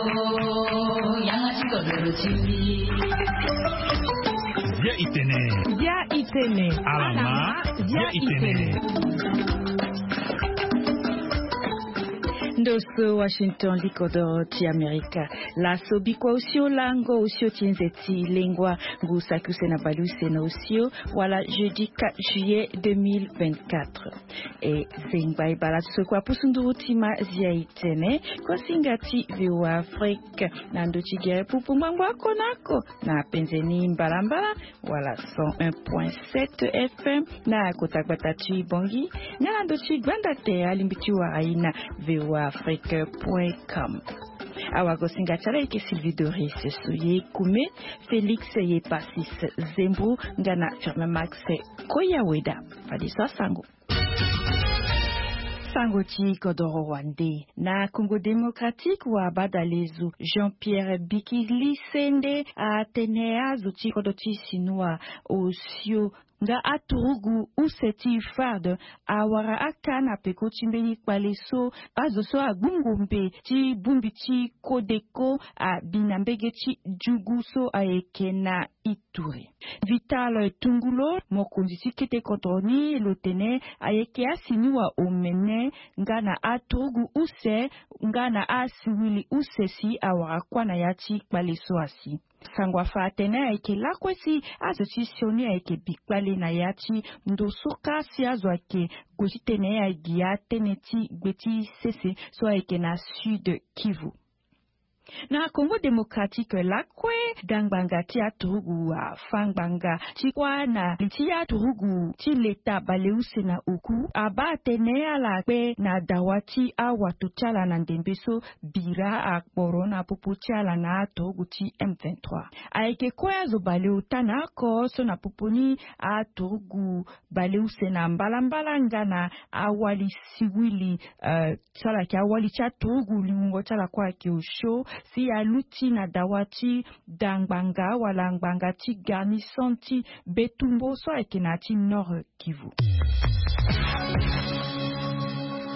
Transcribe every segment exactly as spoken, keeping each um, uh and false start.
Yanga ti kodoro ti mbi. Bia itene. Bia itene. Alama. Bia itene. Ndo so Washington, likodoro ti Amerika. Laso bikua osio lango osio ti nze ti lengua. Ngu saki use na bale use na osio, wala jeudi quatre juillet deux mille vingt-quatre. E zengba e bala so kua pusu nduru ti ma zia itene. Kosinga ti VOA Afrique na ndo ti gere pupu ngbangbo ako na ako na penze ni mbalambala, wala cent un point sept F M na kota gbata ti Bangui, nga na ndo ti gbanda te alingbi ti wara ye na VOA Afrique point com. Awagosinga ti ala eke Sylvie Doris Soye Kume, Félix Yepasis Zembo, nga na Firmin Max Koyaweda. Fade so asango. Sango ti kodoro wande. Na Congo Démocratique, wa badalezo Jean-Pierre Bikili Sende atene azo ti kodro ti Sinua osio nga aturugu use ti FARD awara aka na peko ti mbeni kpale so azo so agbu ngombe ti bongbi ti kodeko abi na mbege ti jugu so ayeke na Ituri. Vital Tungulo, mokonzi ti kete kodro ni, lo tene ayeke asiniwa omene nga na aturugu use nga na asiwili use si awara kuâ na ya ti kpale so asi. Sango afa atene ayeke lakue si azo ti sioni ayeke bi kpale na ya ti ndo so ka si azo ayeke gue titene agi atënë ti gbe ti sese so ayeke na Sud Kivu. Na Congo Démocratique lakue, dangbanga ti aturugu afa ngbanga ti kuâ na li ti aturugu ti leta baleuse na oku abaa atene ala kpe na dawa ti awato ti ala na ndembe so bira akporo na popo ti ala na aturugu ti M vingt-trois. Ayeke kue azo baleota na oko so na popo ni aturugu baleuse na mbalambala nga na awali siwili, eh, ti ala yeke awali ti aturugu lingongo ti ala kue ayeke osio si aluti na dawa ti dangbanga wala ngbanga ti garnison ti Betumbo so ayeke na ya ti Nord Kivu.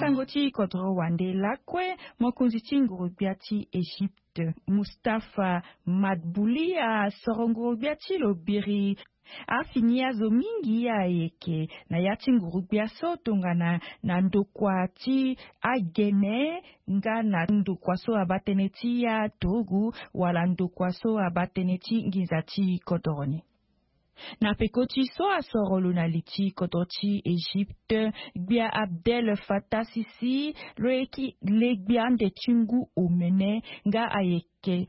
Sango ti kodro wande lakue, mokonzi ti nguru-gbia ti Égypte, Mustapha Madbouli, asoro nguru-gbia ti lo biri. Afini azo mingi ayeke na ya ti nguru-gbia so tongana na ndokua ti agene nga na ndokua so abaa tënë ti aturugu wala ndokua so abaa tënë ti nginza ti kodoro ni. Na peko ti so asoro lo na li ti kodro ti Égypte, gbia Abdel Fattah Sisi, lo yeke le gbia ande ti ngu omene nga ayeke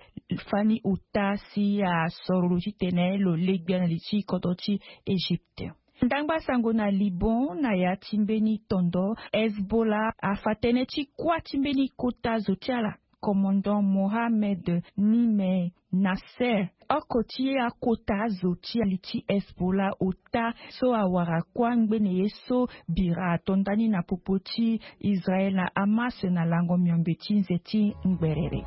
fani ota si asoro lo titene lo le gbia na li ti kodro ti Égypte. Ndangba sango na Liban, na ya ti mbeni tondo, Hezbollah afa tënë ti kuâ ti mbeni kota zo ti ala. Commandant Mohamed Nime Nasser, oko ti akota zo ti ali ti Hezbollah ota so awara kuâ ngbene ye so bira ato ndani na popo ti Israël na Hamas na lango miombe ti nze ti ngberere.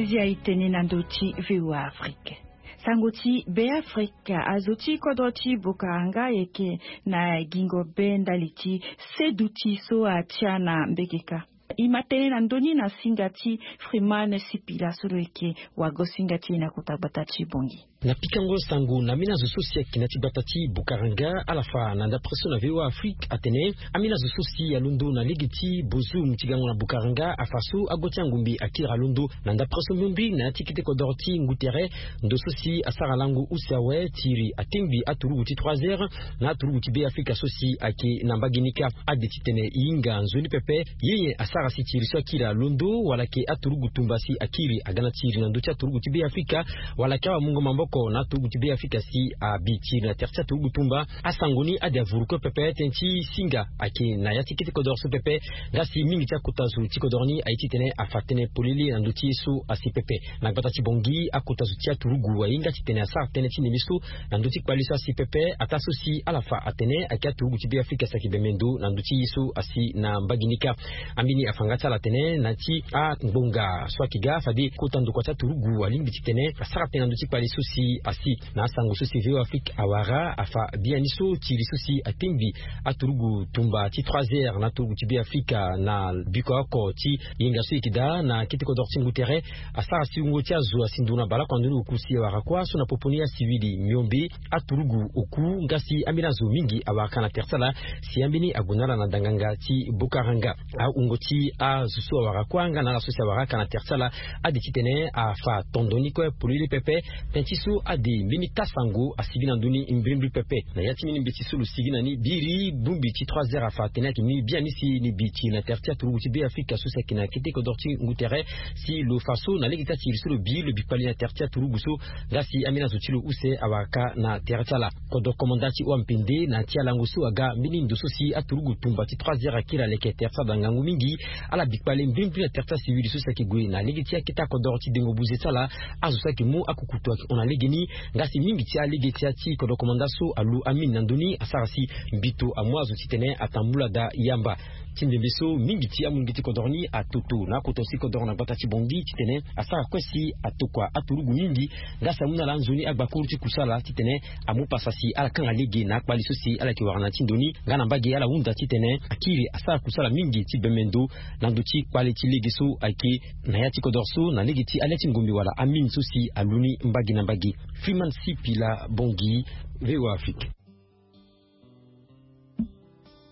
Zia itene na ndo ti VOA Afrique. Sango ti Beafrika, azo ti kodro ti Bokaranga ayeke na gingo be ndali ti seduti so atia na mbekeka. E ma tene na ndö ni na singa ti Freeman Sipila so lo yeke wago-singa ti e na kota gbata ti Bangui. Na pikango sango na ambeni azo so si ayeke na ya ti gbata ti Bokaranga, ala fa na ndapre so na VOA Afrique atene ambeni azo so si alondo na lege ti Bozoum ti gango na Bokaranga afa so ago ti angombe akiri alondo na ndapre so mbiombi na ya ti kete kodoro ti ngu tere. Ndo so si asara lango use awe ti iri atengbi aturugu ti trois heures na aturugu ti Beafrika so si ayeke na mbage ni kâ. Ade titene e hinga nzoni pepe, ye nyen asara si ti iri so akiri alondo wala yeke aturugu tumba si akiri aga na ti iri na ndö ti aturugu ti Beafrika wala yeke awamungo maboko oko na aturugu ti Be Afrika si abi tiri na tere ti aturugu tumba. Asango ni ade avuru kue pepe tënë ti singa ayeke na ya ti kete kodoro so pepe. Nga si mingi ti akota zo ti kodoro ni aye titene afa tënë polele na ndö ti ye so asi pepe. Na gbata ti Bangui, akota zo ti aturugu ahinga titene asara tënë ti ndembe so na ndö ti kpale so asi pepe. Ataa so si ala fa atene ayeke aturugu ti Be Afrika si ayeke bembe ndo na ndö ti ye so asi na mbage ni kâ. Ambeni afa nga ti ala atene na ya ti angbonga so ayeke ga fade kota ndokua ti aturugu alingbi titene asara tënë na ndö ti kpale so si asi. Na asango so si V O A Afrique awara afa biani so tiri so si atengbi aturugu tumba ti trois heures na aturugu ti Be Afrika na biko oko ti yenga so e yeke daa na kete kodoro ti ngu tere. Asara si wungo ti azo asi ndo na baleoko na ndoni oku si awara kuâ so na popo ni asiwili miombe aturugu oku. Nga si ambeni azo mingi awara ka na tere ti ala si ambeni ague na ala na danganga ti bokaranga. Awungo ti azo so awara kuâ nga na ala so si awara ka na tere ti ala ade titene afa tondo ni kue polele pepe. Tënë ti so ade mbeni taa sango asigi na ndö ni mbrimbri pepe. Na ya ti mbeni mbeti so lo sigi na ni biri bongbi ti trois heures afa atene ayeke mbeni biani si ni bi tiri na tere ti aturugu ti Be Afrika so si ayeke na kete kodoro ti ngu tere. Si lo fa so na lege ti atiri so lo bi lo bi kpali na tere ti aturugu so. Nga si ambeni azo ti lo use awara ka na tere ti ala. Kodro komanda ti O M P N D na ya ti alango so aga mbeni ndo so si aturugu tumba ti trois heures akiri aleke tere ti ala ngangu mingi. Ala bi kpale mbrimbri na tere ti asiwili so si ayeke gue na lege ti akete akodoro ti dengo buze ti ala. Azo so ayeke mu akukutu ayeke hon na legeni. Nga si mingi ti alege ti ya ti kodro komanda so alu amine na ndö ni asara si mbito amu azo titene atambula daa yamba. Ti ndembe so mingi ti amolenge ti kodoro ni atoto na akota ti kodoro na gbata ti Bangui titene asara kue si atokua aturugu mingi. Nga si amu na ala nzoni agbakuru ti kusala titene amu pasa si ala kanga lege na akpali so si ala yeke wara na ya ti ndo ni. Nga na mbage ala hunda titene akiri asara kusala mingi ti bembe ndo na ndö ti kpale ti lege so ayeke na ya ti kodoro so na lege ti ale ti ngombe wala amine so si alu ni mbage na mbage. Freeman Sipila, Bangui, V O A Afrique.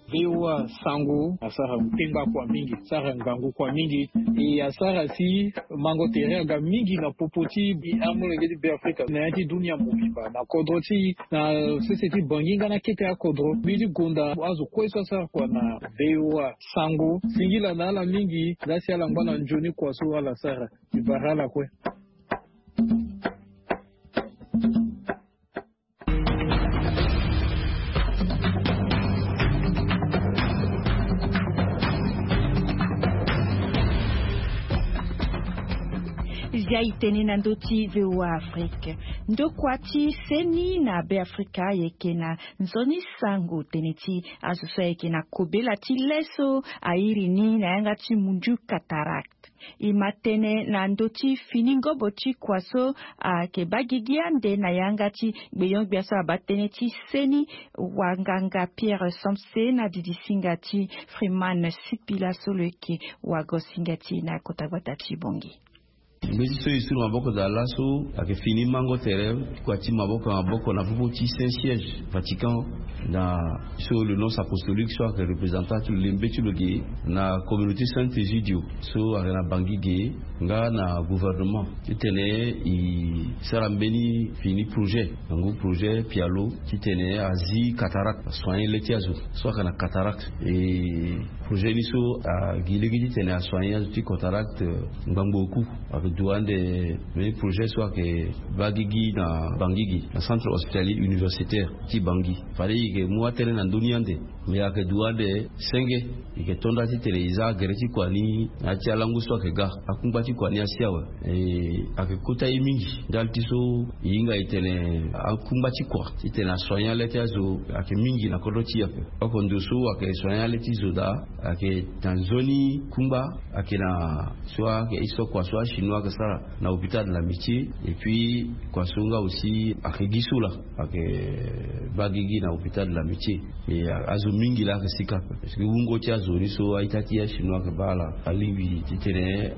V O A sango asara kpengba kua mingi, asara ngangu kua mingi. E asara si mango tere aga mingi na popo ti amolenge ti Be Afrika na ya ti dunia mobimba na kodro ti na sese ti Bangui nga na kete akodro. Mbi ti gonda azo kue so asara kua na V O A sango singila na ala mingi. Nga si ala ngba na nzoni kua so ala sara. Mbi bara ala kue. Zia e tene na ndö ti V O A Afrique. Ndokua ti seni na Be Afrika ayeke na nzoni sango tene ti azo so ayeke na kobela ti le so airi ni na yanga ti munju cataracte. E ma tënë na ndö ti fini ngobo ti kua so ayeke baa gigi ande na yanga ti gbenyo-gbia so abaa tënë ti seni. Wanganga Pierre Somse na didi singa ti Freeman Sipila so lo yeke wago singa ti e na kota gbata ti Bangui. Mbeti so e su na maboko daa laso ayeke fini mango tere kua ti maboko na maboko na popo ti Saint Siège Vatican. Na so le nonce apostolique so ayeke représentant ti lo lembe ti lo ge na communauté Saint Egidio so ayeke na Bangui ge nga na gouvernement titene e sara mbeni fini projet na ngu projet pialo titene azi cataracte, asoigner le ti azo so ayeke na cataracte. E projet ni so agi lege titene asoigner azo ti cataracte ngbangbo oku. Ayeke duti ande mbeni projet so ayeke baa gigi na Bangui gi na centre hospitalier universitaire ti Bangui. Fade e yeke mu atënë na ndö ni ande. Me ayeke duti ande senge. E yeke to nda titene e za agere ti kua ni na ya ti alango so ayeke ga. Akungba ti kua ni asi awe. E ayeke kota ye mingi ndali ti so e hinga e tene akungba ti kua titene asoigner le ti azo ayeke mingi na kodro ti e ape. Oko ndo so ayeke soigner le ti zo daa ayeke na nzoni kungba. Ayeke na so ayeke histoire kua so achinois ayeke sara na hôpital de l'amitié. Et puis kua so nga aussi ayeke gi so laa ayeke baa gigi na hôpital de l'amitié. E azo mingi laa ayeke sika ape parce que wungo ti azo ni so a-ita ti achinois ayeke baa ala alingbi titene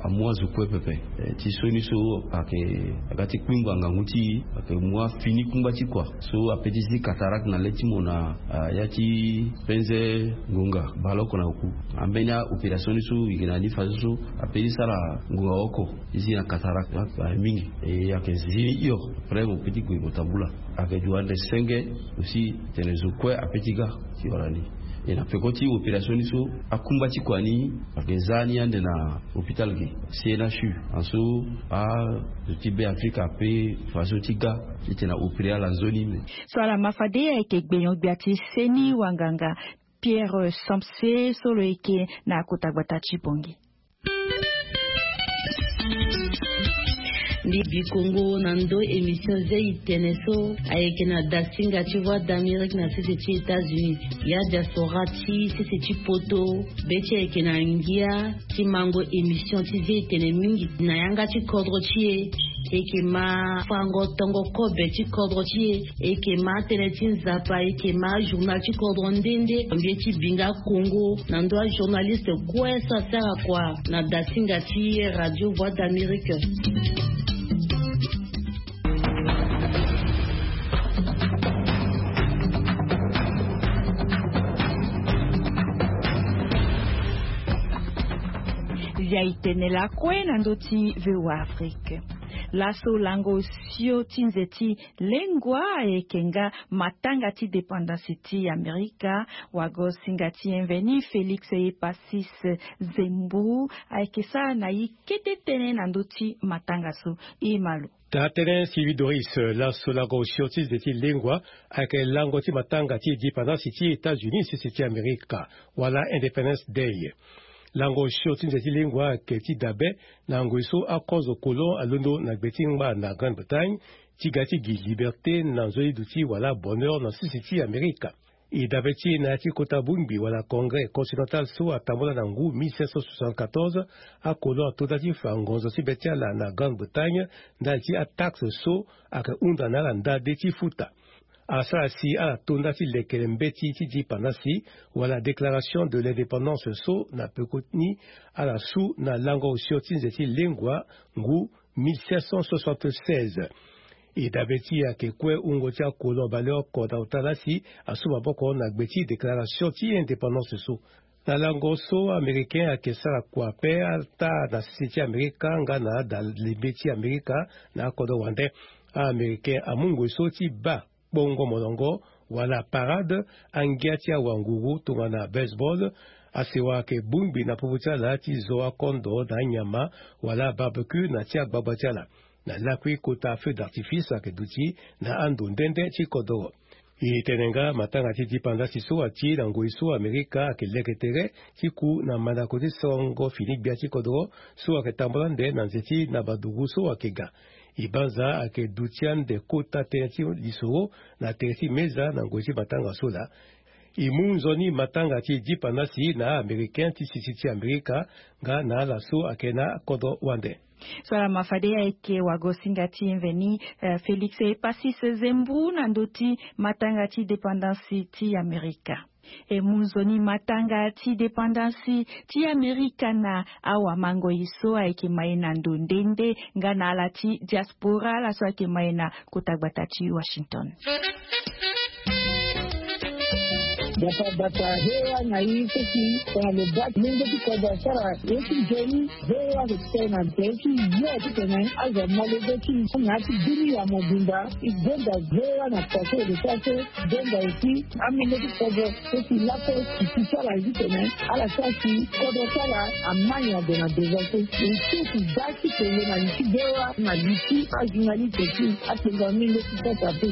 amu azo kue pepe. Ti so ni so ayeke aga ti kpingba ngangu ti e ayeke mu afini kungba ti kua so ape ti zi cataracte na le ti mo na ya ti penze ngonga baleoko na oku. Ambeni a-opération ni so e yeke na ni fadeso so ape ti sara ngonga oko ti zi na cataracte mingi. E ayeke zi ni hio après mo pe ti gue mo tambula. Ayeke duti ande senge aussi tene zo kue ape ti ga ti wara ni. E na peko ti opération ni so, akumba ti kua ni ayeke za ni ande na hôpital ge, C N H U. Anso azo ti Be Afrika ape façon ti ga titene a opéré ala nzoni me. So ala ma fade ayeke gbenyo-gbia ti seni wanganga Pierre Samse so lo yeke na kota gbata ti Bangui. Mbi bi kongo na ndo émission zia itene so ayeke na dasinga ti Voix d'Amérique na sese ti États-Unis. Ya diaspora ti sese ti poto, be ti ayeke na ngia ti mango émission ti zia itene mingi na yanga ti kodro ti e. E yeke ma fango tongo kobe ti kodro ti e. E yeke ma tënë ti Nzapa, e yeke ma journal ti kodro nde nde. Mbi ye ti bi nga kongo na ndö ajournaliste kue so asara kua na dasinga ti Radio Voix d'Amérique. Zia itene lakue na ndö ti V O A Afrique. Laso lango osio ti nze ti lengua ayeke nga matanga ti dépendance ti Amerika. Wago-singa ti e mveni Félix Epacis Zembrou ayeke sara na e kete tënë na ndö ti matanga so. E ma lo. Taa tënë Sylvie Doris. Laso lango osio ti nze ti lengua ayeke lango ti matanga ti dépendance ti États-Unis sese ti Amerika, wala Independence Day. Lango osio ti nze ti lengua ayeke ti dabe na ngoi so akozo kolon alondo na gbe ti ngba na Grande-Bretagne ti ga ti gi liberté na nzoni duti wala bonheur na sese ti Amerika. E dabe ti e na ya ti kota bongbi wala Congrès continental so atambula na ngu mille cinq cent soixante-quatorze, akolon ato nda ti fa ngonzo ti be ti ala na Grande-Bretagne ndali ti ataxe so ayeke hunda na ala nda de ti futa. Asara si ala to nda ti lekere mbeti ti dipandasi wala déclaration de l'indépendance so na peko ni ala su na lango osio ti nze ti lengua ngu mille cinq cent soixante-seize. E dabe ti e ayeke kue wungo ti akolon baleoko na ota laa si asu maboko na gbe ti déclaration ti indépendance so. Na lango so américain ayeke sara kua ape ata na sese ti Amerika nga na adalebe ti Amerika na akodro wande. Américain amu ngoi so ti baa kpongo molongo wala parade angia ti awanguru tongana baseball. Asewa ayeke bongbi na popo ti ala ti zo akondo na anyama wala barbecue na ti agbagba ti ala. Na lakui kota feu d'artifice ayeke duti na ando nde nde ti kodoro. E tene nga matanga ti dipandasi so ati na ngoi so Amerika ayeke leke tere ti ku na mandako ti songo fini gbia ti kodoro so ayeke tambula ande na nze ti na badugu so ayeke ga. E banza ayeke duti ande kota tënë ti lisoro na tere ti meza na ngoi ti matanga so laa. E mu nzoni matanga ti dipandasi na Américain ti sisi ti Amerika nga na ala so ayeke na kodro wande. So ala ma fade ayeke wago-singa ti e mveni, eh, Félix Epacis Zembrou na ndö ti matanga ti dépendance ti Amerika. E mu nzoni matanga ti dépendance ti Amerika na awamangoi so ayeke ma e na ndo nde nde nga na ala ti diaspora ala so ayeke ma e na kota gbata ti Washington. Bata bata, hewa na i seki tongana lo baa ti lenge ti kodro asara ye ti nzoni. Hewa ayeke ti tene na nze ti yo titene azo amolenge ti na ya ti bini ya mobimba. E gonda hewa na kua so e lo sara so. Gonda aussi amolenge ti kodro so si laso si ti ti ala ye titene ala sara si kodro ti ala ama nyen ade na devant so. E so si baa ti tene na li ti hewa na li ti ajournaliste ti atenga amolenge ti sasa pe.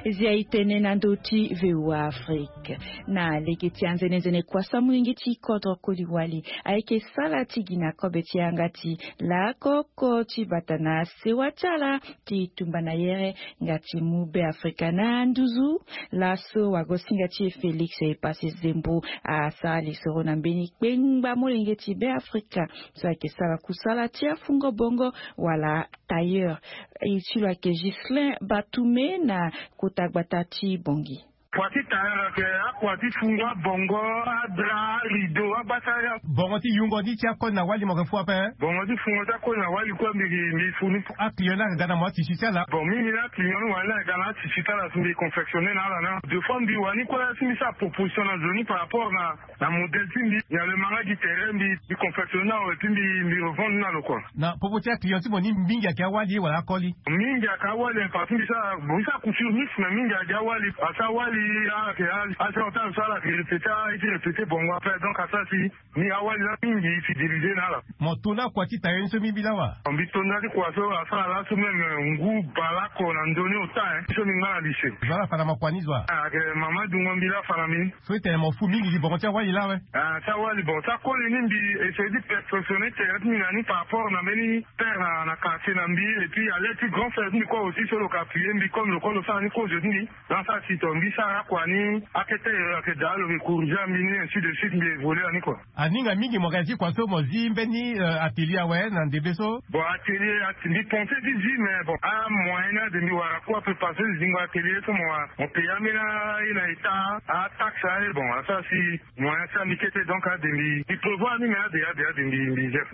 Zia e tene na ndö ti V O A Afrique. Na lege ti anzenenzene kua so amolenge ti kodro koli wali ayeke sala ti gi na kobe ti yanga ti lakoko ti bata na sewa ti ala ti tumba na yere nga ti mu Be Afrika na nduzu. Laso wago-singa ti e Félix Epacis Zembrou asara lisoro na mbeni kpengba molenge ti Be Afrika so ayeke sara kusala ti afungo bongo wala tailleur. E ti lo ayeke Ghislain Batoumé na kota gbata ti Bangui. Kua ti tailleur ayeke akua ti fungo abongo, adra, arideau, abasara. Bongo ti yungo ni ti akoli na wali mo yeke fu ape? Bongo ti fungo ti akoli na wali kue mbi mbi fu ni. Aclient ni ayeke ga na mo atisi ti ala? Bon, mingi ni aclient ni wani ni ayeke ga na atisi ti ala si mbi confectionner na ala na deux fois mbi wani kue si mbi sara proposition na zo ni par rapport na na modèle ti mbi. Nyen lo ma nga gi tere mbi mbi confectionner na lo et puis mbi mbi revendre ni na lo kua. Na popo ti aclient ti mo ni mingi ayeke awali wala akoli? Mingi ayeke awali, parce que mbi sara bon mbi sara couture mixte mais mingi ayeke awali. Parce que awali ala yeke ala ti répéter ala ye ti répéter bongo après donc asara si ni awali laa mingi fidéliser na ala. Mo to ni akua ti tailleur ni so mingi laa wa? Mbi to ni laa ti kua so asara laso même ngu baleoko na ndoni ota hein so mbi nga na lycée. Zo ala fa na mo kua ni zo wa? Ayeke mama dungo mbi laa afa na mbi ni. So e tene mo fu mingi gi bongo ti awali laa awe? Ah ti awali bon ti akoli ni mbi essayer ti perfectionner tere ti mbi na ni par rapport na mbeni père na na quartier na mbi et puis à l'aide ti grand frère ti mbi kue aussi so lo yeke appuyer mbi comme lo kue lo sara ni kozo ti mbi. Dans sa si tongbi sara kua ni akete ayeke daa lo yeke corriger mbi ni ainsi de suite mbi évoluer na ni kua. Aninga mingi mo yeke na ti kua so mo zi mbeni atelier awe na ndembe so? Bon atelier mbi pense ti zi mais bon amoyen ni ade mbi wara kue ape parce que zingo atelier so mo wara mo paye ambeni aye na état ataxe aye bon asara si moyen ti ami kete donc ade mbi mbi prévoir ni mais ade ade ade mbi mbi gère.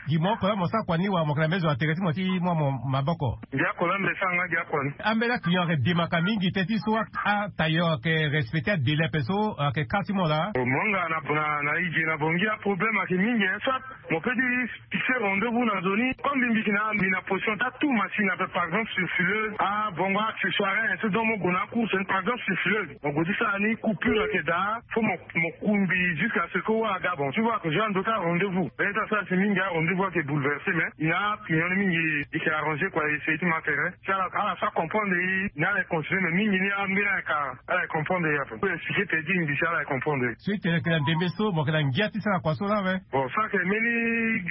Gi mo oko la mo sara kua ni wala mo yeke na mbeni zo na tere ti mo ti mu amo maboko? Mbi oko la mbi sara nga gi akua ni. Ambeni aclient ayeke demaka mingi teti so atailleur ayeke respecter adélai ape so ayeke ka ti mo laa? Mo nga na na na e ge na bongi aproblème ayeke mingi hein soit mo pe ti fixer rendez-vous na zo ni comme mbi mbi yeke na mbi na position ti atu machine ape par exemple sur fileuse abongo accessoire hein so donc mo gue na acourse ni par exemple sur fileuse mo gue ti sara ni coupure ayeke daa. Faut mo mo kumbi jusqu'à ce que wa aga bon tu vois que j'ai un d'autres rendez-vous mais ta ça c'est mingi a rendez-vous ake bouleversé mais il a pignon ni mingi il s'est arrangé quoi essayer ti ma terrain si ala ala sa comprendre i ni ala continue mais mingi ni ambeni aka ala comprendre ya pe expliquer te di ngi si ala comprendre. So i tene ke na ndembe so mo ke na ngia ti sara kua so la ve. Bon ça ke mbeni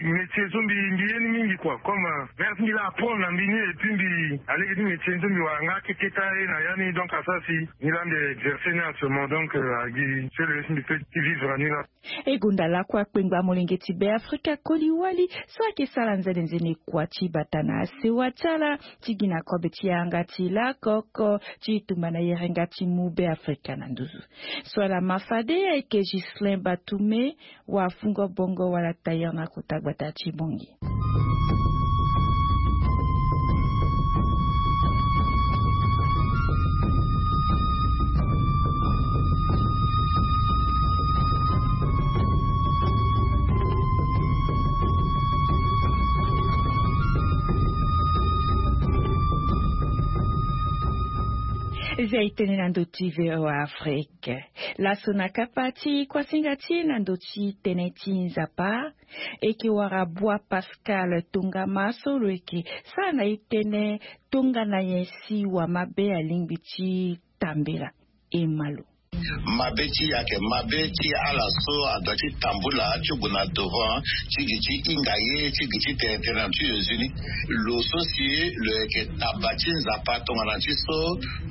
métier so mbi mbi ye ni mingi quoi comme mère ti mbi la apprendre na mbi ni et puis mbi alege ti métier ni so mbi wara nga keketa ye na ya ni donc asara si ni la mbi exercer ni actuellement donc agi sele si mbi pe ti vivre ni la. E gonda lakue akpengba molenge ti Beafrika koli wali so ayeke sara nzene nzene kua ti bata na asewa ti ala ti gi na kobe ti yanga ti lakoko ti tumba na yerenga ti mu Beafrika na nduzu. So ala ma fade ayeke Ghislain Batume, wafungo bongo wala tailleur na kota gbata ti Bangui. Zia e tene na ndö ti V O A Afrique. Laso na kapa ti kuasinga ti e na ndö ti tënë ti Nzapa, e yeke wara Bua Pascal tongama so lo yeke sara na e tënë tongana nyen si wamabe alingbi ti tambela. E ma lo. Mabe ti e ayeke mabe ti ala so adoit ti tambula ti gue na devant ti gi ti hinga ye ti gi ti tene tënë na ti Jésus ni. Lo so si lo yeke taba ti Nzapa tongana ti so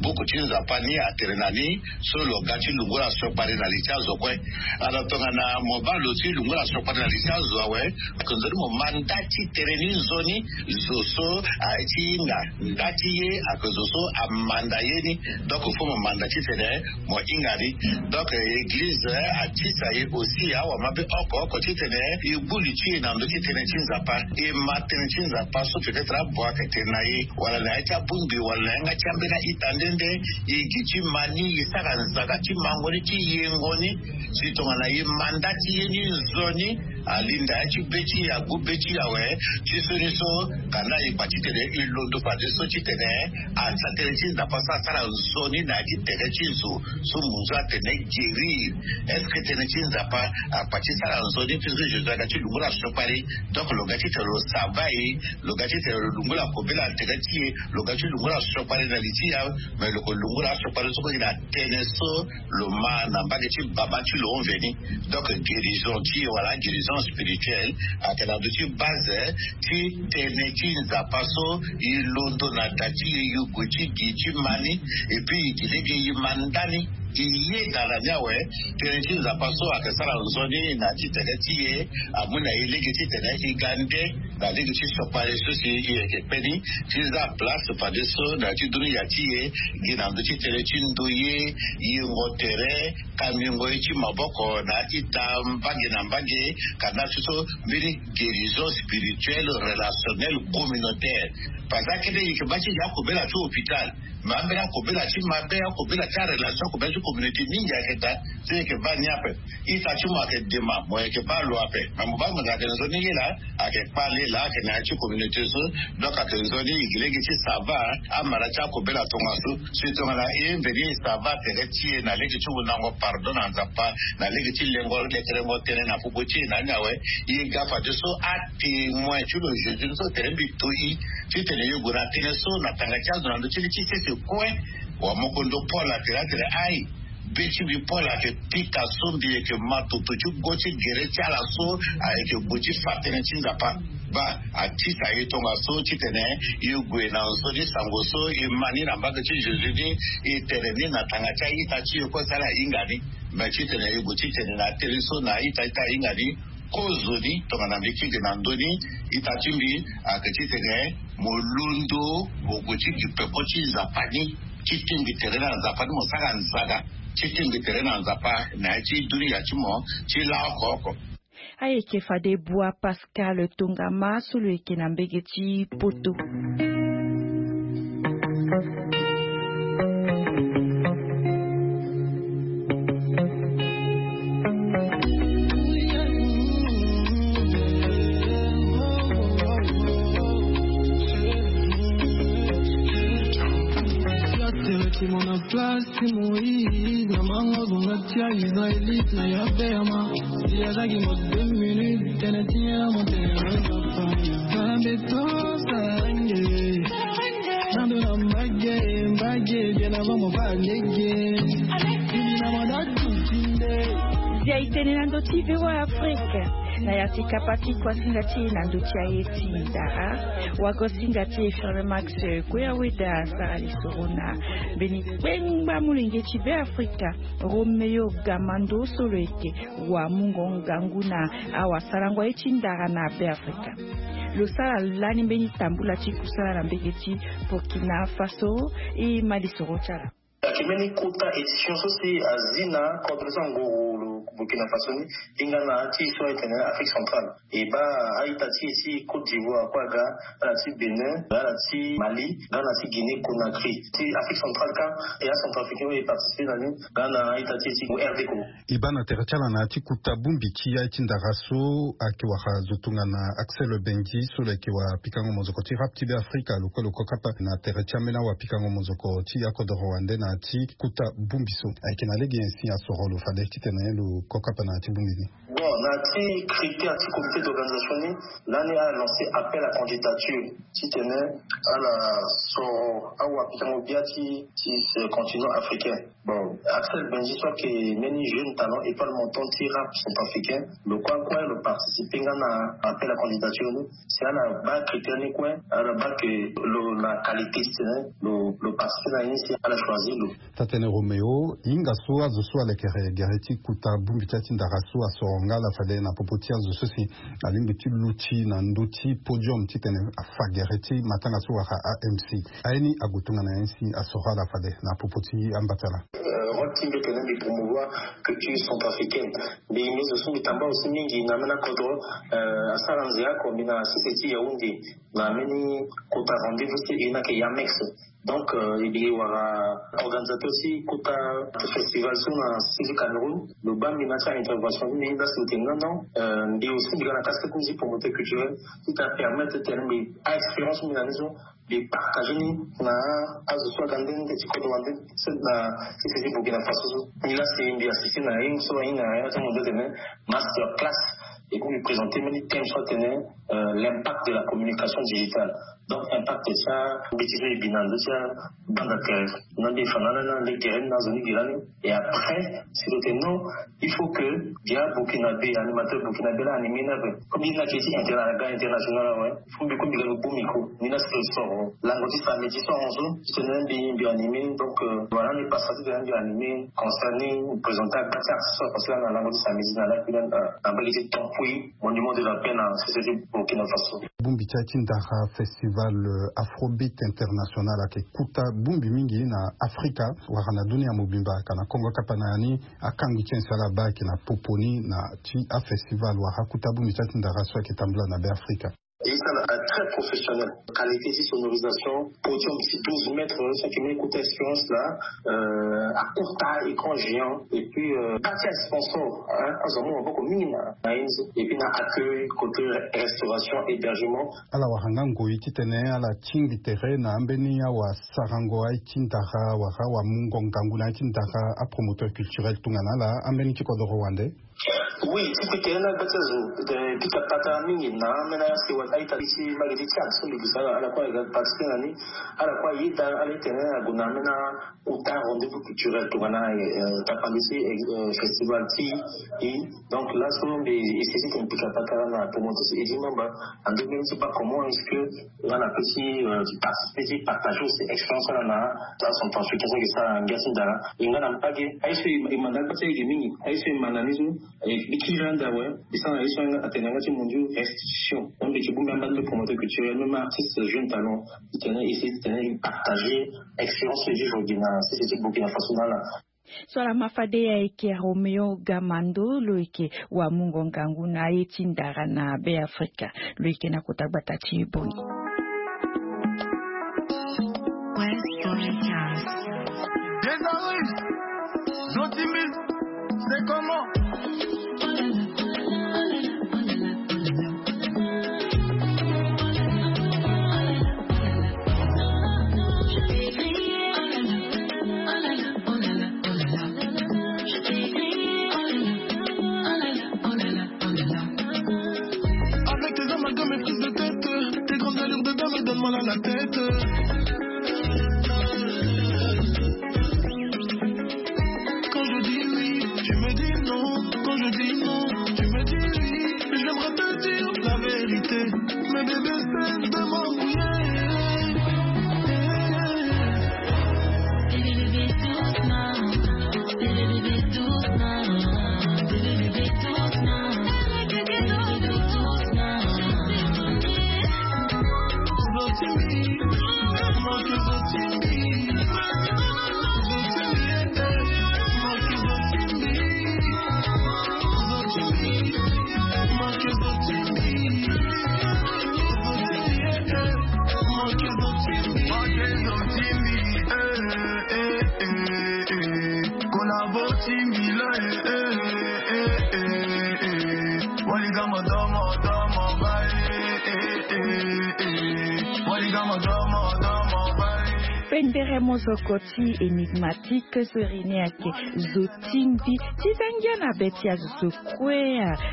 buku ti Nzapa ni atere na ni so lo ga ti lungula siokpari na li ti azo kue. Alors tongana mo baa lo ti lungula siokpari na li ti azo awe, ayeke nzoni mo ma nda ti tene ni nzoni zo so aye ti hinga. Nda ti ye ayeke zo so amanda ye ni. Donc faut mo manda titene mo hinga ni. Donc église atisa ye aussi awamabe oko oko titene e gbu li ti e na ndö ti tënë ti Nzapa. E ma tënë ti Nzapa so peut-être abua ayeke tene na e wala na ya ti abongbi wala na yanga ti ambeni a-ita nde nde. E gi ti ma ni e sara nzaka ti mango ni ti yengo ni. Si tongana e ma nda ti ye ni nzoni. Alinda ya ti be ti e agbu be ti e awe. Ti so ni so kanda e kpa titene e londo fadeso titene asa tënë ti Nzapa so asara nzoni na ya ti tere ti zo so munzu atene guérir. Est-ce que tënë ti Nzapa akpa ti sara nzoni puisque Jésus aga ti lungula siokpari? Donc lo ga titene lo saba e, lo ga titene lo lungula kobela na tere ti e, lo ga ti lungula siokpari na li ti e. Mais lo ko lungula siokpari so kue na tënë so lo ma na mbage ti baba ti lo hon veni. Donc guérison ti e wala guérison spirituelle ayeke na ndö ti base ti tënë ti Nzapa so e londo na da ti e e gue ti gi ti ma ni. Et puis e gi lege e ma nda ni e yeda na ni awe. Tënë ti Nzapa so ayeke sara nzoni na ya ti tene ti e amu na e lege titene e ga nde. Na lege ti sopare so si e yeke kpe ni ti za place fadeso na ya ti dunia ti e gi na ndö ti tënë ti ndoye, yengo tere, kambingo ye ti maboko na ita mbage na mbage. Ka na so so mbeni guérison spirituelle, relationnelle, communautaire. Parce que akete e yeke baa ti gi akobela ti hôpital, me ambeni akobela ti mabe, akobela ti arelation, akobela ti communauté mingi ayeke daa. So e yeke baa ni ape. Ita ti mo ayeke dema, mo yeke baa lo ape. Me mo baa mo zia tene nzoni ye laa ayeke kpale laa ayeke na ya ti communauté so. Donc ayeke nzoni e gi lege ti sava amara ti akobela tongaso. Si tongana e mbeni e sava tere ti e na lege ti wundango pardon na Nzapa, na lege ti lengo lekerengo tënë na popo ti e na ni awe. E ga fadeso atémoin ti lo Jésus ni so tere mbi toi titene e gue na tënë so na tanga ti azo na ndö ti li ti sese kue. Wa moko ndo Paul atene atere ai, be ti mbi Paul ayeke pika so mbi yeke ma toto ti go ti gere ti ala so ayeke gue ti fa tënë ti Nzapa. Baa, atisa e tongaso titene e gue na nzoni sango so e ma ni na mbage ti Jésus ni, e tere ni na tanga ti a-ita ti e kue si ala hinga ni. Me titene e gue titene na tënë so na a-ita ti a-ita ahinga ni. Kozoni tongana mbi kiri na ndö ni, ita ti mbi ayeke titene mo londo, mo gue ti gi peko ti Nzapa ni, ti tingbi tere na Nzapa ni, mo sara nzara ti tingbi tere na Nzapa na ya ti dunia ti mo ti laoko oko. Ayeke fade Bua Pascal Tongama so lo yeke na mbege ti Poto. Place ti Moïse na mango zonga ti a-Israélite na ya beyama. Si azalaki mo deux minutes tene ti ye na mo tene na papa. Nzambe tosa nge. Nando na mbage, mbage bien avant mo fa lege. Bibi na mo datu tinde. Zia e tene na ndö ti V O A Afrique. Na ya ti kapa ti kuasinga ti e na ndö ti aye ti ndara, wagosinga ti e Firme Max Kue Aweda asara lisoro na mbeni kpengba molenge ti Beafrika, Roméo Gamando so lo yeke wamungo ngangu na awasarango aye ti ndara na Beafrika. Lo sara lani mbeni tambula ti kusala na mbege ti Burkina Faso. E ma lisoro ti ala. Ayeke mbeni kota édition so si azi na kodro so angoro lo Burkina Faso ni, hinga na ya ti so ayeke na Afrique centrale. E baa a-ita ti e ti Côte d'Ivoire kue aga, ala ti Bénin, ala ti Mali, nga na ti Guinée Conakry. Ti Afrique centrale kâ, e acentrafricain oyo e participer na ni nga na a-ita ti e ti R D Congo. E baa na tere ti ala na ya ti kota bongbi ti aye ti ndara so ayeke wara zo tongana Axel Benji so lo yeke wapikango mozoko ti rap ti Beafrika, lo kue lo kokapa na tere ti ambeni awapikango mozoko ti akodoro wande na ya ti kota bongbi so. Ayeke na lege nyen si asoro lo fade titene lo kokapa na ya ti bongbi ni? Bon, na ya ti critère ti comité d'organisation ni, lani ala lancer appel à candidature titene ala soro awapikango bia ti, ti ce continent africain. Bon, Axel Benji so ayeke mbeni jeune talent, étoile montante ti rap centrafricain, lo kue kue lo participer nga na appel à candidature ni. Si ala baa critère ni kue, ala baa que lo na qualité titene lo, lo participer na ye ni, si ala choisir lo. Taa-tënë Roméo, hinga so azo so alekere gere ti kota bongbi ti aye ti ndara so asoro nga ala fade na popo ti azo so si alingbi ti luti na ndö ti podium titene afa gere ti matanga so wara A M C. Aye ni ague tongana nyen si asoro ala fade na popo ti amba ti ala? Euh, rôle ti mbi tene mbi promouvoir culture centrafricaine. Mbi, mbi zo so mbi tamba aussi mingi na ambeni akodro, euh, asara nzere oko mbi na sese ti Yaoundé na mbeni kota rendez-vous ti e ni ayeke Yamex. Donc, euh, e bi wara organisateur ti kota festival so na sese ti Cameroun. Lo baa mbi na ti intervention ti mbi, la si lo tene non non, euh, mbi aussi mbi ga na casquette ti promoteur culturel ti ta permettre titene mbi a-expérience mbi na ni so mbi partager ni na azo so aga nde nde ti kodro wande so na sese ti Burkina Faso so. Mbi la si mbi assister na ye so ahinga na ya ti mondial tene master class. Et puis mbi présenter mbeni thème so atene, euh, l'impact de la communication digitale. Donc impact ti ambeti so e bi na ndö ti abanda tere. Na mbi e fa na ala ni na lege tere ni na azo ni gi lani. Et après si lo tene non, il faut que dia burkinabé, animateur burkinabé la animé ni ape. Comme ye ni ayeke ti inter-, aga international awe. Faut mbi kue mbi ga lo bu micro ni la si Soro lango ti samedi soro so ti tene mbi mbi animé. Donc voilà, mbi pasa ti tene mbi animé concert ni, mbi présenté agba ti artiste so apassé lani na lango ti samedi na lakui lani, na mbage ti Tampoué, monument de la paix na société Burkina Faso. Bongbi ti aye ti ndara, festival afrobeat international ayeke kota bongbi mingi na Afrika wala na dunia mobimba. Ayeke na kongo kapa na ya ni. Akangbi ti aye so ala baa ayeke na popo ni na ti afestival wala akota bongbi ti aye ti ndara so ayeke tambula na Be Afrika. Ye ti ala très professionnel. Qualité ti sonorisation, podium ti douze mètres, so ayeke même kota expérience laa. Akota écran géant et puis kati asponsor azo amu maboko mingi na na ye ni so. Et puis na accueil côté restauration, hébergement. Ala wara nga ngoi titene ala tingbi tere na ambeni awasarango aye ti ndara wala awamungo ngangu na aye ti ndara, apromoteur culturel tongana ala, ambeni ti kodoro wande. Oui, ti kue tene na gba ti azo pika patara mingi na ambeni asewa aita ti mbage ti Tchad so mbi gue sara ala kue aga participer na ni. Ala kue ayeda ala titene ague na ambeni akota rendez-vous culturel tongana tapande ti festival ti i. Donc laso mbi essayer titene pika patara na promoteur ti Eddy Mamba, en deux mille ti baa comment est-ce que nga na pe ti participer ti partager aussi expérience ala na la son temps africain so ayeke sara ngia ti ndara. E nga na mbage aye so e ma na gba ti ayeke mingi, aye so e ma na ni so e kiri anda awe. Mbi sara na ye so atene na yanga ti mondio restitution. Donc mbi yeke bongbi amba ti mbi promoteur culturel, même artiste jeune talent, titene essayer titene e partager expérience so e vivre gi na sese ti Burkina Faso na ala. So ala ma fade ayeke Roméo Gamando, lo yeke wamungo ngangu na aye ti ndara na Be Afrika. Lo yeke na kota gbata ti Boni. Zotimbi, c'est comment? Avec tes amalgames et prises de tête, tes grandes allures de dame donnent mal à la tête. Quand je dis oui, tu me dis non. Quand je dis non, tu me dis oui. J'aimerais te dire la vérité, mais bébé, cesse de m'embrouiller. Pendere mozoko ti Enigmatique so iri ni ayeke Zotimbi. Ti za ngia na be ti azo so kue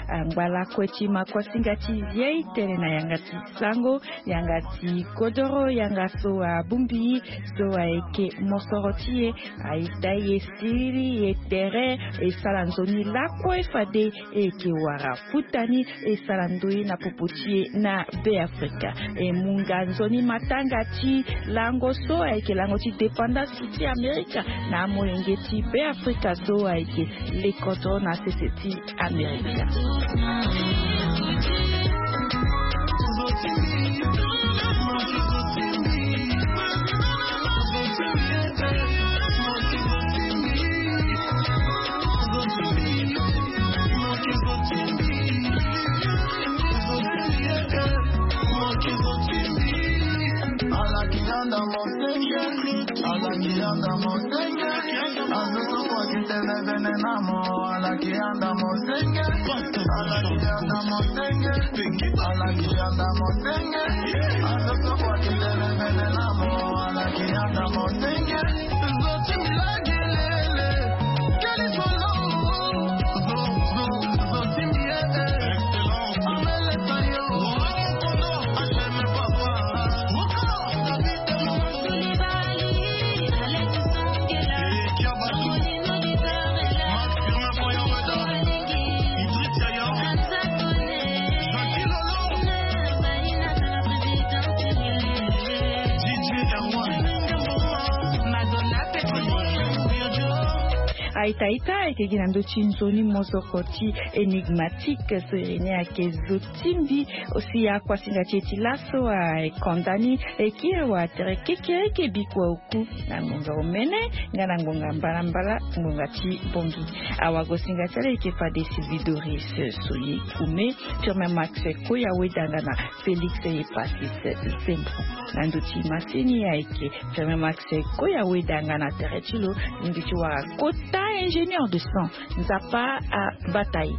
angba lakue ti ma kuasinga ti ye tene na yanga ti sango, yanga ti kodoro, yanga so abongbi so ayeke mosoro ti e. Aita ye siriri ye tere e sara nzoni lakue fade e yeke wara futa ni e sara ndoi na popo ti e na Be Afrika. E mu nga nzoni matanga ti lango so ayeke lango ti dépendance ti Amerika na amolenge ti Be Afrika so ayeke lekoto na sese ti Amerika. Aita aita ayeke gi na ndö ti nzoni mozoko ti Enigmatique so iri ni ayeke zo ti mbi. Osi akuasinga ti e ti laso akonda ni eki awa tere kekereke bikua oku na ngonga omene nga na ngonga mbalambala ngonga ti bongi. Awagosinga ti ala eke fade Sylvie Doris Soye Kume, Firmin Max Koya Wedanga na Félix Epasis Zembro. Na ndö ti masini ayeke Firmin Max Koya Wedanga na tere ti lo. Lingbi ti wara kota ingénieur de son. Nzapa abata ye.